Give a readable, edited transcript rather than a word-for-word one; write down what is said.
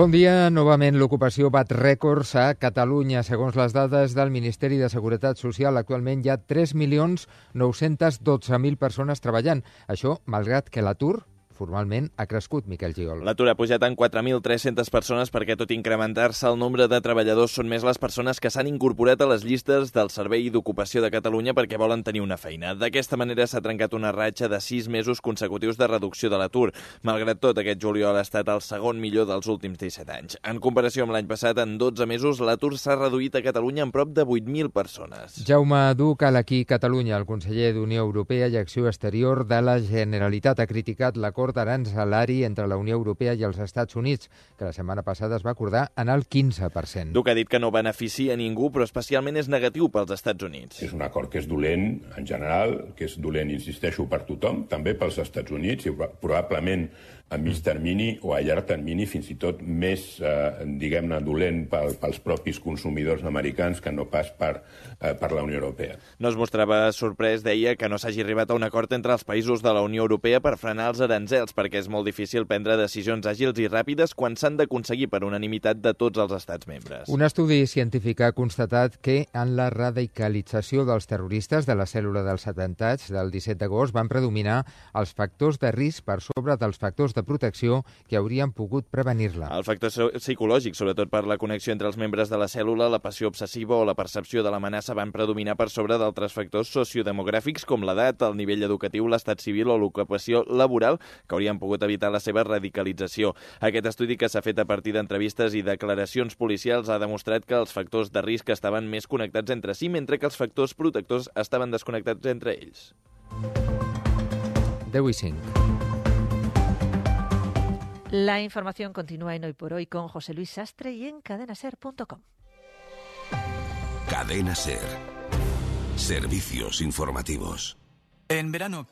Bon dia. Novament l'ocupació bat rècords a Catalunya. Segons les dades del Ministeri de Seguretat Social, actualment hi ha 3.912.000 persones treballant. Això, malgrat que l'atur formalment ha crescut, Miquel Gigol. L'atur ha pujat en 4.300 persones perquè, tot i incrementar-se el nombre de treballadors, són més les persones que s'han incorporat a les llistes del Servei d'Ocupació de Catalunya perquè volen tenir una feina. D'aquesta manera s'ha trencat una ratxa de 6 mesos consecutius de reducció de l'atur. Malgrat tot, aquest juliol ha estat el segon millor dels últims 17 anys. En comparació amb l'any passat, en 12 mesos, l'atur s'ha reduït a Catalunya en prop de 8.000 persones. Jaume Ducal, aquí Catalunya, el conseller d'Unió Europea i Acció Exterior de la Generalitat, ha criticat l'acord aranzelari entre la Unió Europea i els Estats Units, que la setmana passada es va acordar en el 15%. Duc ha dit que no beneficia a ningú, però especialment és negatiu pels Estats Units. És un acord que és dolent en general, que és dolent, insisteixo, per tothom, també pels Estats Units, i probablement a mig termini o a llarg termini fins i tot més, diguem-ne, dolent pels propis consumidors americans que no pas per la Unió Europea. No es mostrava sorprès, deia, que no s'hagi arribat a un acord entre els països de la Unió Europea per frenar els aranzels, perquè és molt difícil prendre decisions àgils i ràpides quan s'han d'aconseguir per unanimitat de tots els estats membres. Un estudi científic ha constatat que en la radicalització dels terroristes de la cèl·lula dels atemptats del 17 d'agost van predominar els factors de risc per sobre dels factors de protecció que haurien pogut prevenir-la. El factor psicològic, sobretot per la connexió entre els membres de la cèl·lula, la passió obsessiva o la percepció de l'amenaça, van predominar per sobre d'altres factors sociodemogràfics com l'edat, el nivell educatiu, l'estat civil o l'ocupació laboral, que haurien pogut evitar la seva radicalització. Aquest estudi, que s'ha fet a partir d'entrevistes i declaracions policials, ha demostrat que els factors de risc estaven més connectats entre si, mentre que els factors protectors estaven desconnectats entre ells. 10:05. La información continúa en Hoy por Hoy con José Luis Sastre y en cadenaser.com. Cadena Ser. Servicios informativos. En verano